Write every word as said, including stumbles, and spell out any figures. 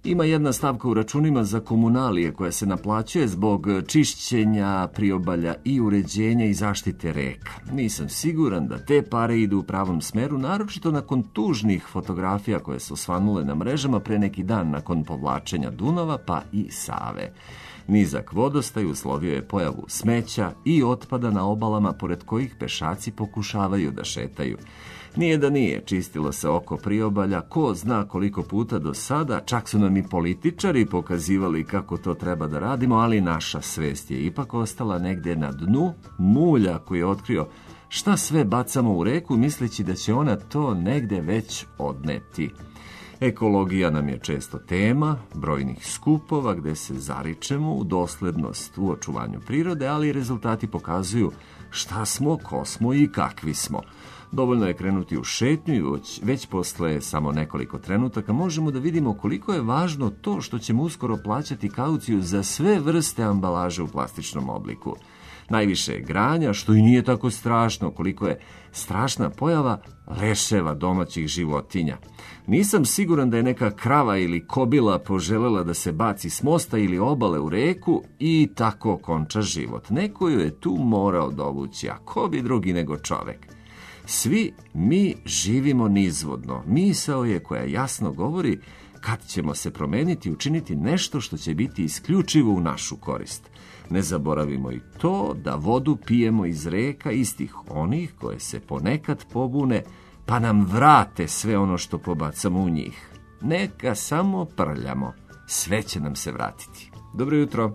Ima jedna stavka u računima za komunalije koja se naplaćuje zbog čišćenja priobalja i uređenja i zaštite reka. Nisam siguran da te pare idu u pravom smeru, naročito nakon tužnih fotografija koje su svanule na mrežama pre neki dan nakon povlačenja Dunava pa i Save. Nizak vodostaj uslovio je pojavu smeća i otpada na obalama pored kojih pešaci pokušavaju da šetaju. Nije da nije, čistilo se oko priobalja, ko zna koliko puta do sada, čak su nam i političari pokazivali kako to treba da radimo, ali naša svest je ipak ostala negde na dnu mulja koji je otkrio šta sve bacamo u reku misleći da će ona to negde već odneti. Ekologija nam je često tema brojnih skupova gde se zaričemo u doslednost u očuvanju prirode, ali rezultati pokazuju šta smo, ko smo i kakvi smo. Dovoljno je krenuti u šetnju i već, već posle samo nekoliko trenutaka možemo da vidimo koliko je važno to što ćemo uskoro plaćati kauciju za sve vrste ambalaže u plastičnom obliku. Najviše je granja, što i nije tako strašno, koliko je strašna pojava leševa domaćih životinja. Nisam siguran da je neka krava ili kobila poželela da se baci s mosta ili obale u reku i tako konča život. Neko ju je tu morao dovući, a ko bi drugi nego čovek. Svi mi živimo nizvodno. Misao je koja jasno govori kad ćemo se promeniti i učiniti nešto što će biti isključivo u našu korist. Ne zaboravimo i to da vodu pijemo iz reka istih onih koje se ponekad pobune pa nam vrate sve ono što pobacamo u njih. Neka samo prljamo, sve će nam se vratiti. Dobro jutro.